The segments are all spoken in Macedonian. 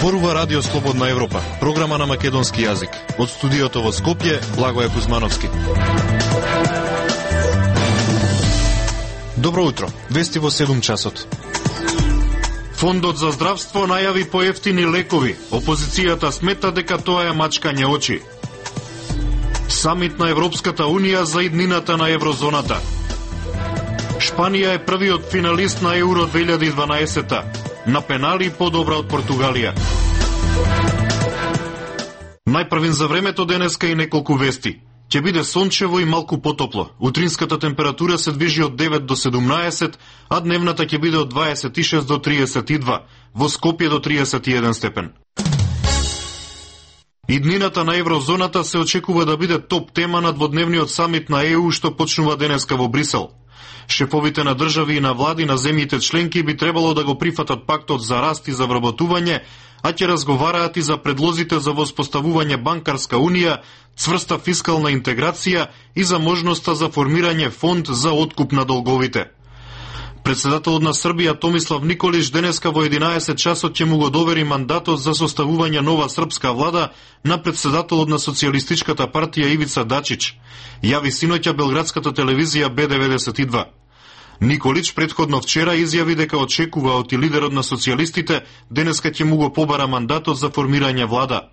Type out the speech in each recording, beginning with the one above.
Зборува Радио Слободна Европа, програма на македонски јазик. Од студиото во Скопје, Благоје Кузмановски. Добро утро, вести во 7 часот. Фондот за здравство најави поевтини лекови. Опозицијата смета дека тоа е мачкање очи. Самит на Европската Унија за иднината на еврозоната. Шпанија е првиот финалист на Еуро 2012. На пенали подобра од Португалија. Најпрвин за времето денеска и неколку вести. Ќе биде сончево и малку потопло. Утринската температура се движи од 9 до 17, а дневната ќе биде од 26 до 32, во Скопје до 31 степен. Иднината на еврозоната се очекува да биде топ тема на дводневниот самит на ЕУ што почнува денеска во Брисел. Шефовите на држави и на влади на земјите членки би требало да го прифатат пактот за раст и за вработување, а ќе разговараат и за предлозите за воспоставување банкарска унија, цврста фискална интеграција и за можноста за формирање фонд за откуп на долговите. Председателот на Србија Томислав Николич денеска во 11 часот ќе му го довери мандатот за составување нова српска влада на председателот на Социјалистичката партија Ивица Дачич, јави синоќа белградската телевизија Б92. Николич предходно вчера изјави дека очекува од лидерот на социјалистите денеска ќе му го побара мандатот за формирање влада.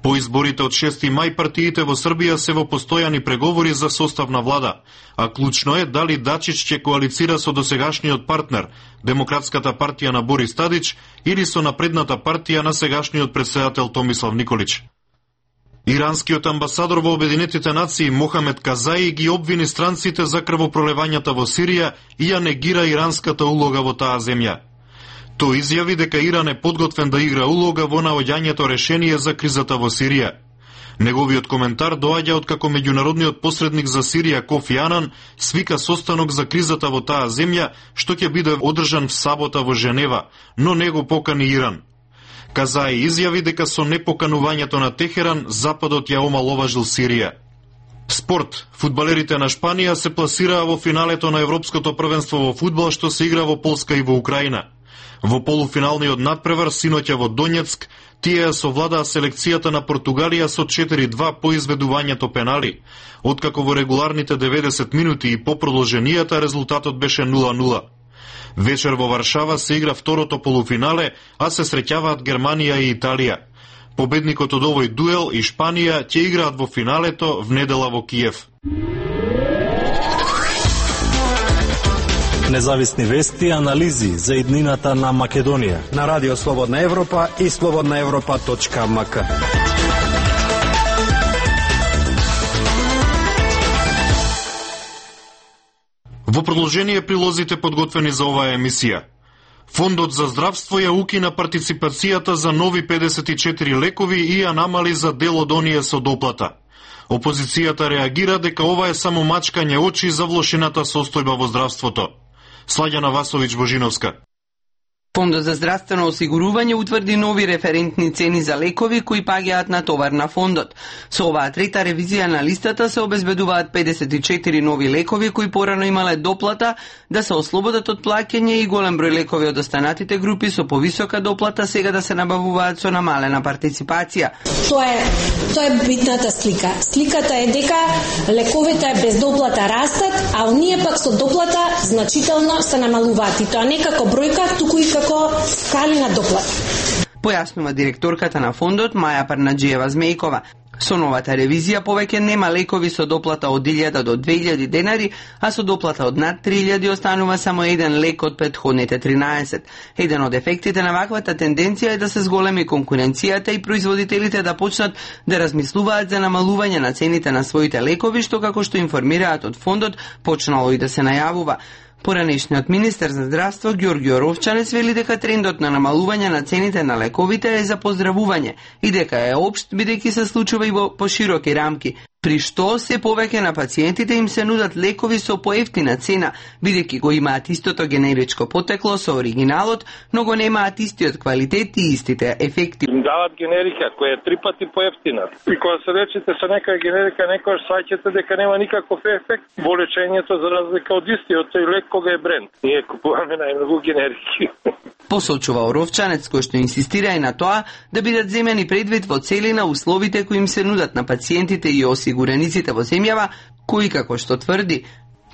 По изборите од 6 мај партиите во Србија се во постојани преговори за состав на влада, а клучно е дали Дачич ќе коалицира со досегашниот партнер, Демократската партија на Борис Тадич, или со напредната партија на сегашниот председател Томислав Николич. Иранскиот амбасадор во Обединетите нации Мохамед Казаи ги обвини странците за крвопролевањата во Сирија и ја негира иранската улога во таа земја. Тој изјави дека Иран е подготвен да игра улога во наоѓањето решение за кризата во Сирија. Неговиот коментар доаѓа од како меѓународниот посредник за Сирија Кофи Анан свика состанок за кризата во таа земја, што ќе биде одржан в сабота во Женева, но не го покани Иран. Казаи изјави дека со непоканувањето на Техеран, Западот ја омаловажил Сирија. Спорт. Фудбалерите на Шпанија се пласираа во финалето на Европското првенство во фудбал што се игра во Полска и во Украина. Во полуфиналниот надпревар синоќа во Донецк, тие ја совладаа селекцијата на Португалија со 4-2 по изведувањето пенали. Откако во регуларните 90 минути и по продолженијата резултатот беше 0-0. Вечер во Варшава се игра второто полуфинале, а се среќаваат Германија и Италија. Победникот од овој дуел и Шпанија ќе играат во финалето в недела во Киев. Независни вести и анализи за иднината на Македонија на Радио Слободна Европа и slobodnaevropa.mk. Во продолжение прилозите подготвени за оваа емисија. Фондот за здравство ја укина партиципацијата за нови 54 лекови и ја намали за дел од оние со доплата. Опозицијата реагира дека ова е само мачкање очи за влошената состојба во здравството. Сладјана Васовиќ Божиновска. Фондот за здравствено осигурување утврди нови референтни цени за лекови кои паѓаат на товар на фондот. Со оваа трета ревизија на листата се обезбедуваат 54 нови лекови кои порано имале доплата да се ослободат од плаќање и голем број лекови од останатите групи со повисока доплата сега да се набавуваат со намалена партиципација. Тоа е битната слика. Сликата е дека лековите без доплата растат, а оние пак со доплата значително се намалуваат. И тоа не како бројка, туку и како скали на доплата. Појаснува директорката на фондот Маја Парнаџиева Змејкова. Со новата ревизија повеќе нема лекови со доплата од 1000 до 2000 денари, а со доплата од над 3000 останува само еден лек од претходните 13. Еден од ефектите на ваквата тенденција е да се зголеми конкуренцијата и производителите да почнат да размислуваат за намалување на цените на своите лекови, што како што информираат од фондот почнало и да се најавува. Поранешниот министер за здравство Ѓорѓио Ровчанец вели дека трендот на намалување на цените на лековите е за поздравување и дека е општ бидејќи се случува и во пошироки рамки, при што се повеќе на пациентите им се нудат лекови со поевтина цена, бидејќи го имаат истото генеричко потекло со оригиналот, но го немаат истиот квалитет и истите ефекти. Им дават генерика која е 3 пати поевтина. И кога се речете со некоја генерика, некојаш саќате дека нема никаков ефект во лечењето за разлика од истиот тој лек кога е бренд. Ние купуваме најмногу генерики. Посочува Оровчанец, кој што инсистира и на тоа да бидат земени предвид во целина условите кои им се нудат на пациентите и осигурениците во земјава, кои, како што тврди,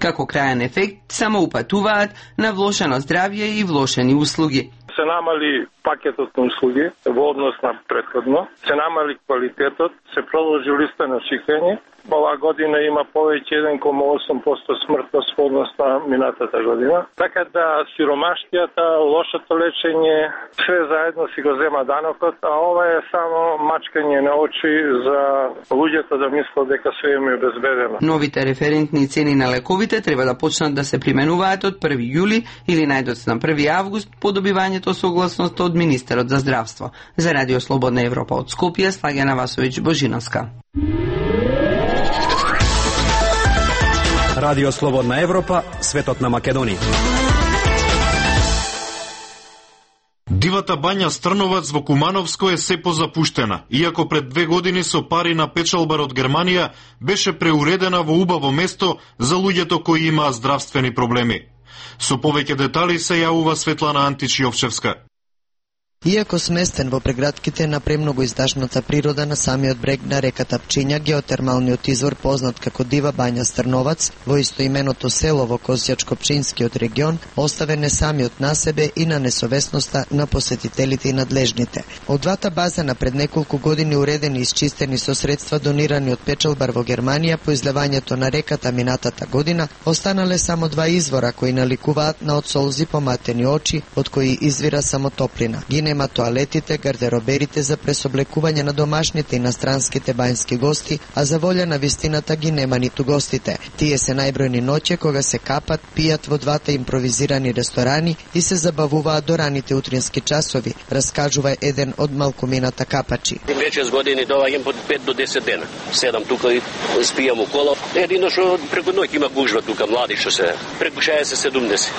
како крајен ефект само упатуваат на влошено здравје и влошени услуги. Се намали пакетот на услуги во однос на претходно, се намали квалитетот, се продолжи листа на чекање. Оваа година има повеќе 1,8% смртност во однос на минатата година. Така да сиромаштијата, лошото лечење, све заедно си го зема данокот, а ова е само мачкање на очи за луѓето да мислат дека све им е безбедено. Новите референтни цени на лековите треба да почнат да се применуваат од 1 јули или најдоцна 1 август по добивањето согласност од министерот за здравство. За Радио Слободна Европа од Скопје, Слагена Васовиќ Божиновска. Радио Слободна Европа, светот на Македонија. Дивата бања Стрновац во Кумановско е се позапуштена, иако пред 2 години со пари на печалбар од Германија беше преуредена во убаво место за луѓето кои имаа здравствени проблеми. Со повеќе детали се јавува Светлана Антич-Јовчевска. Иако сместен во прегратките на премногу издашната природа на самиот брег на реката Пчиња, геотермалниот извор познат како Дива бања Стрновац, во истоименото село во Козјачко-Пчинскиот регион, оставен не самиот на себе и на несовесноста на посетителите и надлежните. Од двата базена пред неколку години уредени и исчистени со средства донирани од печалбар во Германија по излевањето на реката минатата година, останале само 2 извора кои наликуваат на од солзи поматени очи, од кои извира само топлина. Нема тоалетите, гардероберите за пресоблекување на домашните и настранските бањски гости, а за волја на вистината ги нема ниту гостите. Тие се најбројни ноќе кога се капат, пијат во двата импровизирани ресторани и се забавуваат до раните утрински часови, раскажува еден од малкумината капачи. 5-6 години доаѓам по 5 до 10 дена. 7 тука и спијам около. Едино што преку ноќ има гужва тука, млади што се, преку 60-70.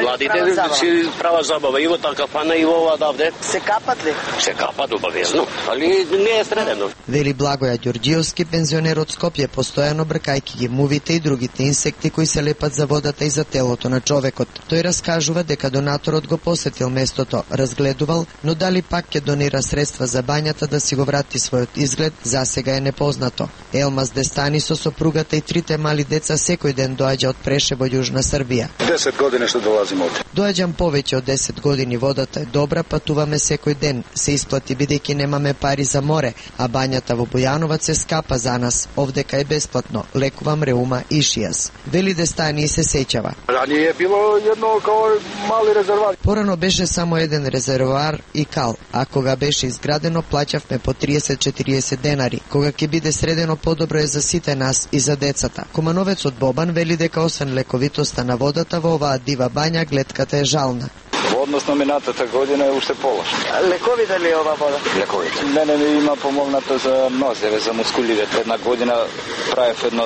Младите си права забава и во таа кафана и во ова давде. Се капат ли? Се капат обавезно, али не е средено. Вели Благоја Ѓорѓиевски, пензионер од Скопје, постојано бркајќи ги мувите и другите инсекти кои се лепат за водата и за телото на човекот. Тој раскажува дека донаторот го посетил местото, разгледувал, но дали пак ќе донира средства за бањата да си го врати својот изглед, засега е непознато. Елмаз Дестани со сопругата и 3 мали деца секој ден доаѓа од Прешево, Јужна Србија. 10 години што долазим овде. Доаѓам повеќе од 10 години, водата е добра, патуваме секој ден, се исплати бидејќи немаме пари за море, а бањата во Бојановац се скапа за нас, овдека е бесплатно, лекувам реума и шијас. Вели Дестани се сеќава. Рани е било едно као мали резервоар. Порано беше само еден резервоар и кал, а кога беше изградено плаќавме по 30-40 денари. Кога ќе биде средено, подобро е за сите нас и за децата. Комановецот Бобан вели дека освен лековитоста на водата во оваа дива бања, гледката е жална. Во однос на минатата година е уште полош. Лековите ли е ова вода? Лековите. Мене ми има помогнато за нозеве, за мускулите. Една година правев едно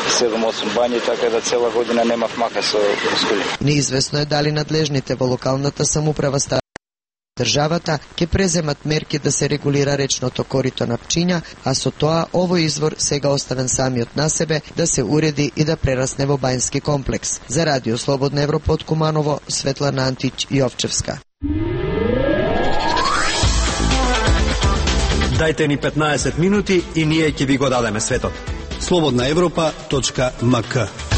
7-8 бањи, така да цела година немав мака со мускули. Неизвестно е дали надлежните во локалната самоуправа државата ќе преземат мерки да се регулира речното корито на Пчиња, а со тоа овој извор сега оставен самиот на себе да се уреди и да прерасне во бањски комплекс. За Радио Слободна Европа од Куманово, Светлана Антич-Јовчевска. Дајте ни 15 минути и ние ќе ви го дадеме светот. slobodnaevropa.mk.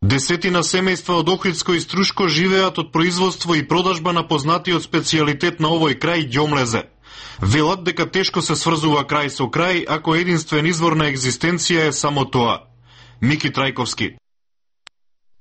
Десетина семејства од Охридско и Струшко живеат од производство и продажба на познатиот специјалитет на овој крај ѓомлезе. Велат дека тешко се сврзува крај со крај, ако единствен извор на екзистенција е само тоа. Мики Трајковски.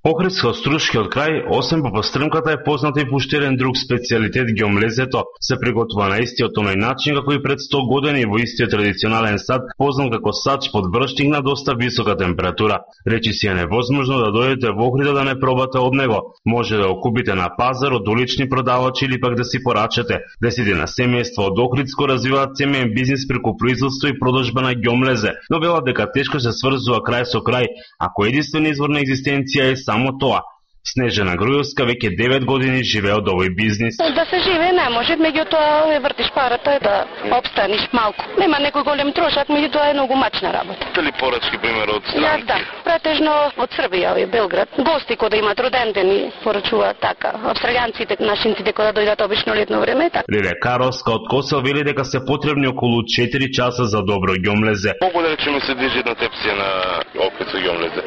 Охридско-Струшкиот крај, освен по пастрмката, е познат и по уште еден друг специјалитет ѓомлезето. Се приготвува на истиот оној начин како и пред 100 години во истиот традиционален сад, познат како сач под брштинг на доста висока температура. Речи си е невозможно да дојдете во Охрида да не пробате од него. Може да го купите на пазар од улични продавачи или пак да си порачате. Десетина семејства од Охридско развиваат семеен бизнис преку производство и продажба на ѓомлезе, но велат дека тешко се сврзува крај со крај, ако единствен извор на екзистенција е само тоа. Снежана Груевска веќе 9 години живее од овој бизнис. Да се живее не може, меѓутоа вртиш парата да обстаниш малку. Нема некој голем трошак, меѓутоа е многу мачна работа. Дали порачки пример од странки? Да, претежно од Србија и Белград. Гости кои да имаат роден ден и порачуваат така. Австралијанците, нашинците кои да дојдат обично летно време така. Лиле Каровска од Косел вели дека се потребни околу 4 часа за добро ѓомлезе. Колку да речеме се движи една тепсија на опит со ѓомлезе?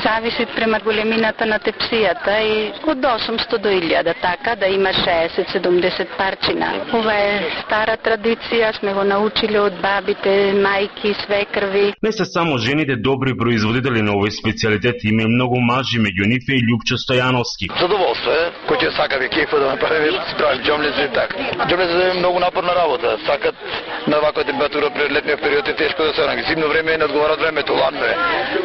Зависи пример големината на тепсијата и од 800 до 1000 така да има 60-70 парчина. Ова е стара традиција, сме го научиле од бабите, мајки, свекрви. Не се само жените добри производители на овој специјалитет, има и многу мажи, меѓу нив е и Љупчо Стојановски. Задоволство е, кој ќе сака ве кефа да направи, прави ѓомлезе и така. Ѓомлезе е многу напорна работа, сакат на ваква температура пред летниот период е тешко да се наги. Зимно време не одговара времето, ладно е.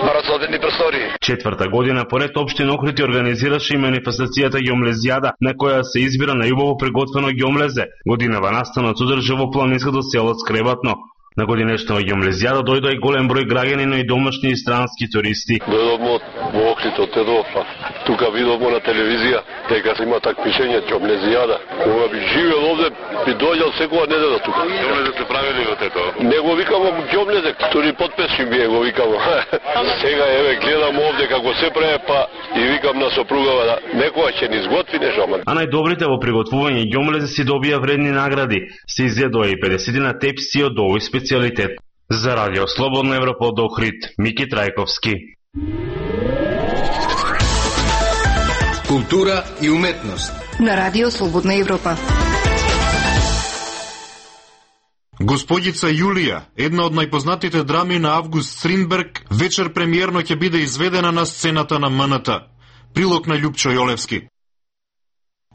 Мора соодветни простори. Четврта година поред општина Охрид организираше и манифестацијата Ѓомлезијада, на која се избира најубаво приготвено ѓомлезе. Годинава настанот одржа во планинското село Скребатно. На годинешната Ѓомлезијада дојдоа и голем број граѓани, но и домашни и странски туристи. Дојдовме во Охрид од Тедофа. Тука видовме на телевизија дека се има такмишење Ѓомлезијада. Кога би живеел овде, би дојдел секоја недела тука. Ѓомлезе се правили во Тедофа? Не го викамо ѓомлезе, тури подпешки бие го викамо. Сега еве гледам овде како се прави, па и викам на сопругава да некоја ќе ни изготви нешто. А најдобрите во приготвување ѓомлезе си добија вредни награди. Се изједоа и 50 на тепси од овој специјалитет. За Радио Слободна Европа од Охрид, Мики Трајковски. Култура и уметност на Радио Слободна Европа. Господица Јулија, една од најпознатите драми на Август Стринберг, вечер премиерно ќе биде изведена на сцената на МНТ. Прилог на Љупчо Јолевски.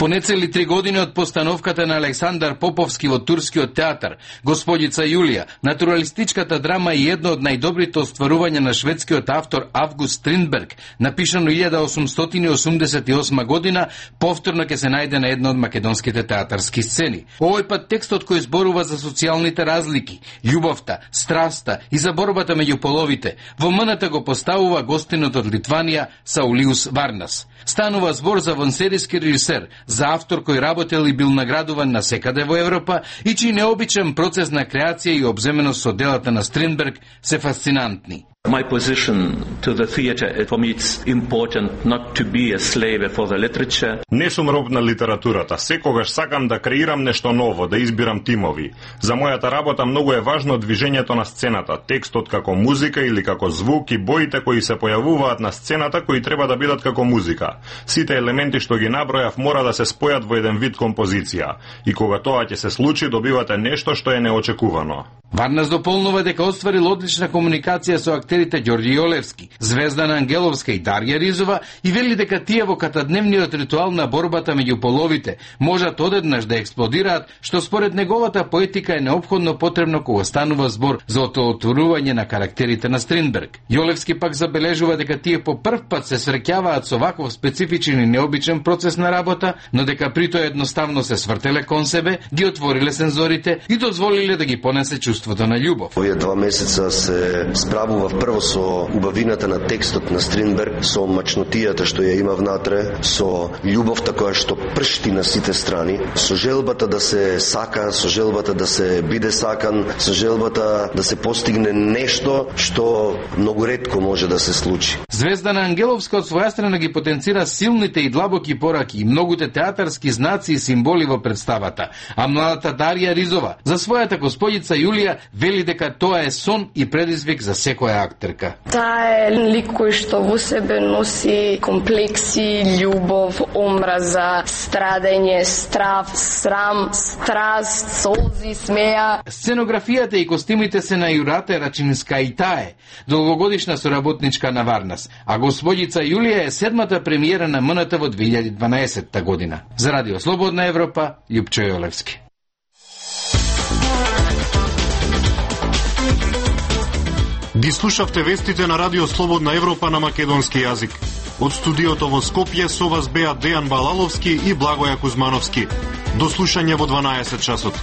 По нецели 3 години од постановката на Александар Поповски во турскиот театар, Господица Јулија, натуралистичката драма и едно од најдобрите остварувања на шведскиот автор Август Стринберг, напишано 1888 година, повторно ќе се најде на една од македонските театарски сцени. Овој пат текстот кој зборува за социјалните разлики, љубовта, страста и за борбата меѓу половите, во МНТ го поставува гостинот од Литванија Саулиус Варнас. Станува збор за вонсериски режисер, за автор кој работел и бил наградуван на секаде во Европа и чиј необичен процес на креација и обземеност со делата на Стринберг се фасцинантни. My position to the theatre, for me it's important not to be a slave for the literature. Не сум роб на литературата, секогаш сакам да креирам нешто ново, да избирам тимови. За мојата работа многу е важно движењето на сцената, текстот како музика или како звук и боите кои се појавуваат на сцената кои треба да бидат како музика. Сите елементи што ги набројав мора да се спојат во еден вид композиција. И кога тоа ќе се случи, добивате нешто што е неочекувано. Варнас дополнува дека остварил одлична комуникација со актерите Ѓорѓи Јолевски, Звездана Ангеловска и Дарја Ризова и вели дека тие во катадневниот ритуал на борбата меѓу половите можат одеднаш да експлодираат, што според неговата поетика е неопходно потребно кога станува збор за отворување на карактерите на Стринберг. Јолевски пак забележува дека тие по прв пат се среќаваат со ваков специфичен и необичен процес на работа, но дека притоа едноставно се свртеле кон себе, ги отвориле сензорите и дозволиле да ги понесе чувството на љубов. Овие 2 месеца се справував прво со убавината на текстот на Стринберг, со мачнотијата што ја има внатре, со љубовта која што пршти на сите страни, со желбата да се сака, со желбата да се биде сакан, со желбата да се постигне нешто што многу ретко може да се случи. Звездана Ангеловска од своја страна ги потенцира силните и длабоки пораки и многуте театарски знаци и символи во представата, а младата Дарја Ризова за својата Господица Јулија вели дека тоа е сон и предизвик за секоја актерка. Таа е лик кој што во себе носи комплекси, љубов, омраза, страдење, страф, срам, страст, солзи, смеја. Сценографијата и костимите се на Јурате Рачинска и таа, долгогодишна соработничка на Варнас, а Господица Јулија е 7-та премиера на МНТ во 2012 година. За Радио Слободна Европа, Љупчо Јолевски. Ги слушавте вестите на Радио Слободна Европа на македонски јазик. Од студиото во Скопје со вас беа Дејан Балаловски и Благоја Кузмановски. До слушање во 12 часот.